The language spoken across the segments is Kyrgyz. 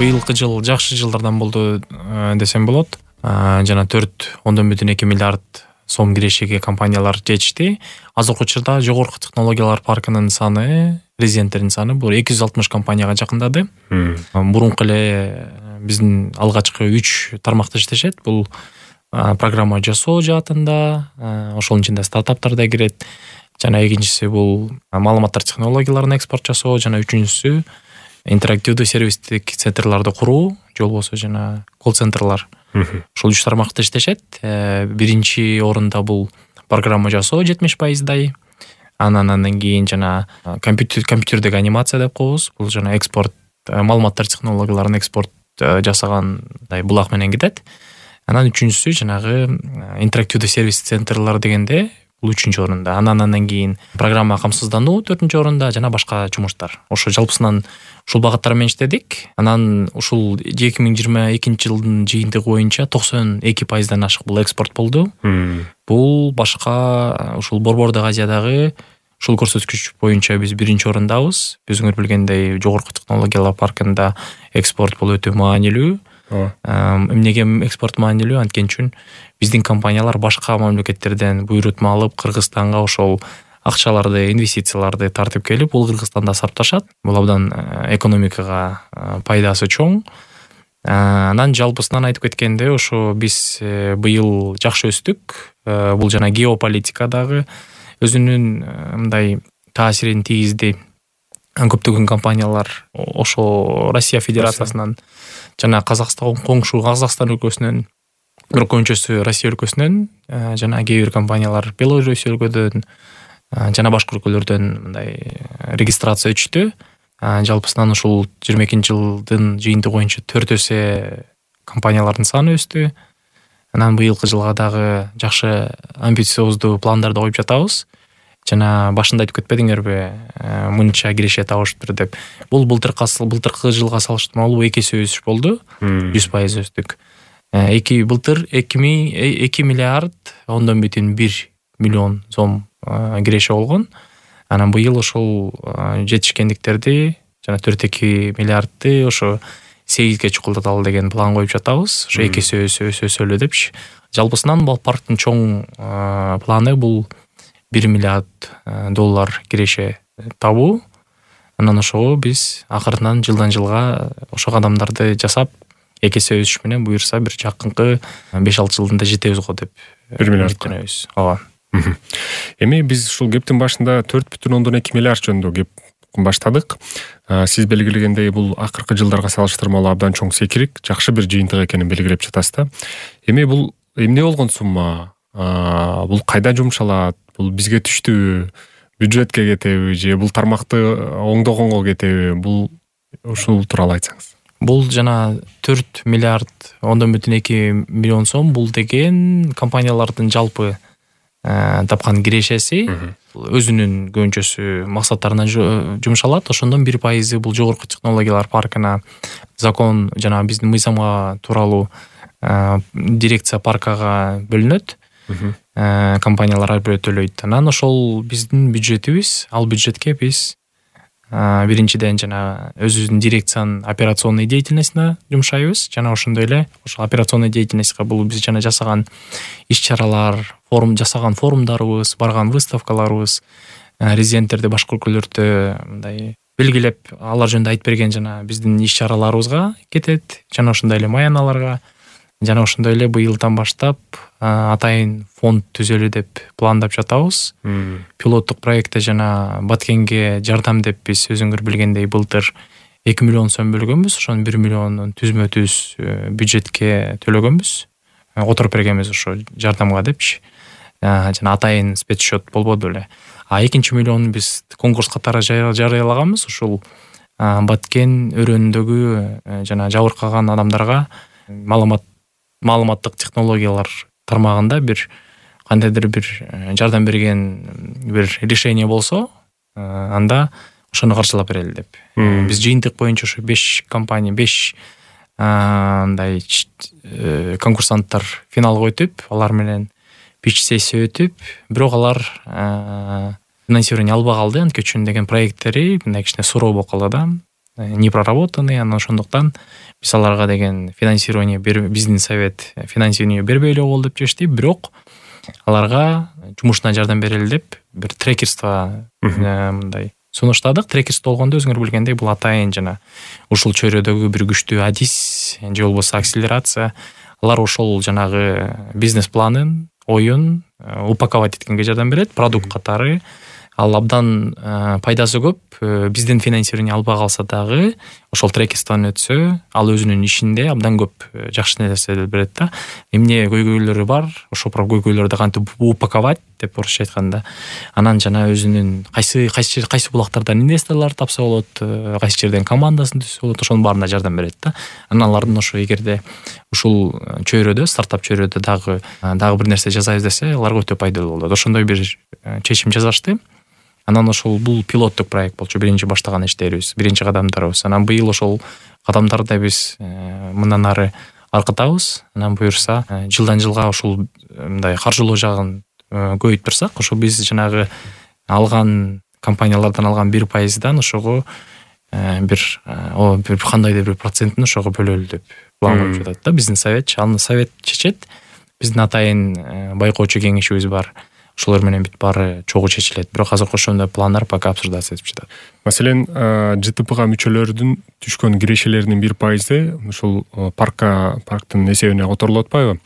Быйылкы жыл жакшы жылдардан болду десем болот. Жана 4,2 миллиард сом кирешеге компаниялар жетишти. Азыркы учурда жогорку технологиялар паркынын саны, резиденттердин саны бул 260 компанияга жакындады. Мурунку эле биздин алгачкы 3 тармакта иштешет. Бул программа жасоо жаатында, ошонун ичинде стартаптар да кирет. Жана экинчиси бул маалыматтар технологияларын экспорт жасоо, жана үчүнчүсү интерактивдүү сервистик центрларды куруу, же болбосо жана колл-центрлар. Ушул 3 тармакта иштешет. Биринчи орунда бул программа жасоо 70%. Андан кийин жана компьютердеги анимация деп коебуз. Бул жана экспорт, маалыматтар технологияларын экспорт жасагандай булак менен кетет. Анан үчүнчүсү жанагы интерактивдүү сервис центрлар дегенде бул 3-чү орунда. Андан кийин программа камсыздануу 4-чү орунда жана башка жумуштар. Ошо жалпысынан ушул багыттар менен иштедик. Анан ушул 2022 жылдын жыйынтыгы боюнча 92%дан ашык бул экспорт болду. Бул башка ушул Борбордук Азиядагы ушул көрсөткүч боюнча биз 1-чи орундабыз. Өзүңөр билгендей, жогорку технологиялар паркында экспорт бул өтө маанилүү. Эмнеге экспорт маанилүү? Анткени биздин компаниялар башка мамлекеттерден буйрутма алып Кыргызстанга ошол акчаларды, инвестицияларды тартып келип, бул Кыргызстанда сарпташат. Бул абдан экономикага пайдасы чоң. Анан жалпысынан айтып кеткенде, ошо биз быйыл жакшы өстүк. Бул жана геополитикадагы өзүнүн мындай таасирин тийгизди. Көптөгөн компаниялар ошо Россия Федерациясынан жана Казакстан, коңшу Казакстан өлкөсүнөн, бирок көбүнчөсү Россия өлкөсүнөн, жана кээ бир компаниялар Беларусь өлкөдөн, жана башка өлкөлөрдөн мындай регистрация өчтү. Жалпысынан ушул 22 жылдын жыйынтыгы боюнча 4 эсе компаниялардын саны өстү. Анан быйылкы жылга дагы жакшы амбициоздуу пландарды коюп жатабыз. Жана башында айтып кетпедиңерби, мынча киреше табыштыр деп. Бул былтыркы жылга салыштырмалуу 2 эсе өсүш болду. 100% өстүк. Былтыр 2 миллиард 1,1 миллион сом киреше болгон. Анан быйыл ошол жетишкендиктерди жана 4,2 миллиардты ошо 8ге чукулдаталы деген план коюп жатабыз. Ошо 2 эсе өсөлү депчи. Жалпысынан бул парктын чоң планы бул $1 миллиард киреше табуу. Анан ошого биз акырынан жылдан жылга ошо кадамдарды жасап, 2 эсе өсүш менен буюрса бир жакынкы 5-6 жылдында жетебиз го деп 1 миллиардка. Ооба. Эми биз ушул кептин башында 4,2 миллиард жөнүндө кеп баштадык. Сиз белгилегендей, бул акыркы жылдарга салыштырмалуу абдан чоң секирик, жакшы бир жыйынтык экенин белгилеп жатасыз да. Эми бул эмне болгон сумма? Бул кайда жумшалат? Бул бизге түштүбү? Бюджетке кетеби же бул тармакты оңдогонго кетеби? Бул ушул тууралуу айтсаңыз. Бул жана 4 миллиард 1,2 миллион сом бул деген компаниялардын жалпы тапкан кирешеси. Өзүнүн көбүнчөсү максаттарына жумшалат. Ошондон 1% бул жогорку технологиялар паркына закон жана биздин мыйзамга тууралуу дирекция паркага бөлүнөт. Компаниялар ар бирөө төлөйт. Анан ошол биздин бюджетибиз. Ал бюджетке биз биринчиден жана өзүбүздүн дирекциянын операционный деятельностуна жумшайбыз. Жана ошондой эле ошол операционный деятельностька бул биз жана жасаган иш-чаралар, жасаган форумдарыбыз, барган выставкаларыбыз, резиденттерди башка өлкөлөрдө мындай белгилеп, алар жөнүндө айтып берген жана биздин иш-чараларыбызга кетет. Жана ошондой эле маяналарга, жана ошондой эле быйылдан баштап атайын фонд түзөлү деп пландап жатабыз. Пилоттук проектте жана Баткенге жардам деп биз өзүңөр билгендей былтыр 2 миллион сом бөлгөнбүз. Ошонун 1 миллионун түзмө-түз бюджетке төлөгөнбүз. Которуп бергенбиз ошо жардамга депчи. Жана атайын спецсчет болбоду эле. 2 миллионун биз конкурс катары жарыялаганбыз. Ушул Баткен өрөөнүндөгү жана жабыркаган адамдарга маалыматтык технологиялар тармагында бир кандайдыр бир жардам берген бир решение болсо, анда ошону каржылап берели деп. Биз жыйынтык боюнча ошо 5 компания, 5 мындай конкурсанттар финалга өтүп, алар менен пич сессия өтүп, бирок алар финансирование албай калды. Анткени үчүн деген проекттери мындай кичине суроо болуп калды да. не проработанный, анан ошондуктан биз аларга деген финансирование биздин совет финансирование бербей эле болду деп чечти. Бирок аларга жумушуна жардам берели деп бир трекерство мындай сунуштадык. Трекерство болгондо өзүңөр билгендей бул атайын жана ушул чөйрөдөгү бир күчтүү адис же болбосо акселерация. Алар ошол жанагы бизнес планын, оюн упаковать эткенге жардам берет, продукт катары. Ал абдан пайдасы көп. Бизден финансирование албай калса дагы ошол трекерстводан өтсө, ал өзүнүн ишинде абдан көп жакшы нерселер берет да. Эмне көйгөйлөрү бар, ошол көйгөйлөрдү кантип упаковать деп орусча айтканда, анан жана өзүнүн кайсы булактардан инвесторлор тапса болот, кайсы жерден командасын түзсө болот, ошонун баарына жардам берет да. Анан алардын ошо эгерде ушул чөйрөдө, стартап чөйрөдө дагы бир нерсе жасайбыз десе, аларга өтө пайдалуу болот. Ошондой бир чечим жасашты. Анан ошол бул пилоттук проект болчу, биринчи баштаган иштерибиз, биринчи кадамдарыбыз. Анан быйыл ошол кадамдарды биз мындан ары аркытабыз. Анан буюрса, жылдан жылга ушул мындай каржылоо жагын көбөйтүп ошо биз жанагы алган компаниялардан алган 1%дан ошого бир кандайдыр бир процентин ошого бөлөлү деп план коюп жатат да биздин совет. Аны совет чечет. Биздин атайын байкоочу кеңешибиз бар. Ошолор менен бүт баары чогуу чечилет. Бирок азыркы ошондой пландар пока обсуждация этип жатат. Маселен, ЖТПга мүчөлөрдүн түшкөн кирешелеринин 1% ушул парктын эсебине которулуп атпайбы?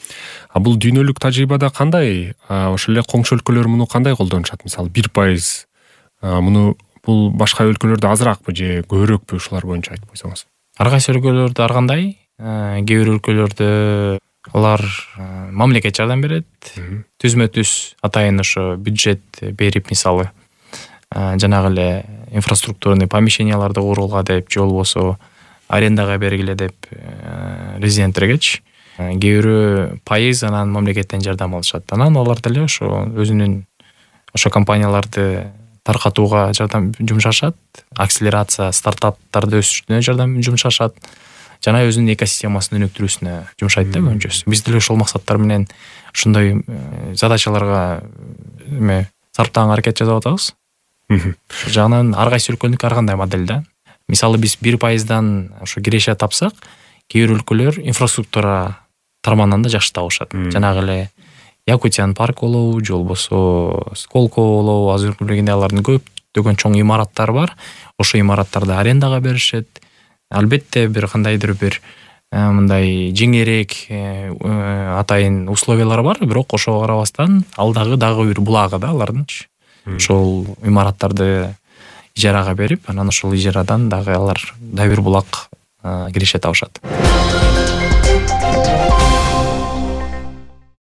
А бул дүйнөлүк тажрыйбада кандай? Ошол эле коңшу өлкөлөр муну кандай колдонушат? Мисалы 1%. Муну бул башка өлкөлөрдө азыракпы же көбүрөөкпү, ушулар боюнча айтып койсоңуз? Ар кайсы өлкөлөрдө ар кандай? Кээ бир өлкөлөрдө алар мамлекет жардам берет. Түзмө-түз атайын ошо бюджет берип, мисалы жанагы эле инфраструктурный помещенияларды курууга деп, же болбосо арендага бергиле деп резиденттергечи кээ бирөө пайыз анан мамлекеттен жардам алышат. Анан алар деле ошо өзүнүн ошо компанияларды таркатууга жардам жумшашат, акселерация стартаптарды өсүрүүнө жардам жумшашат. Жана өзүнүн экосистемасын өнүктүрүүсүнө жумшайт да көбүнчөсү. Биз деле ошол максаттар менен ушундай задачаларга сарптаган аракет жасап атабыз. Ошол жагынан ар кайсы өлкөнүн ар кандай модель да. Мисалы биз 1%дан ошо киреше тапсак, кээ бир өлкөлөр инфраструктура тармагынан да жакшы табышат. Жанагы эле Якутиян парк болобу, же болбосо Сколково болобу, азыр билгендей алардын көптөгөн чоң имараттары бар. Ошо имараттарды арендага беришет. Албетте бир кандайдыр бир мындай жеңерээк атайын условиялар бар, бирок ошого карабастан ал дагы бир булагы да алардынчы. Ошол имараттарды ижарага берип, анан ошол ижарадан дагы алар бир булак киреше табышат.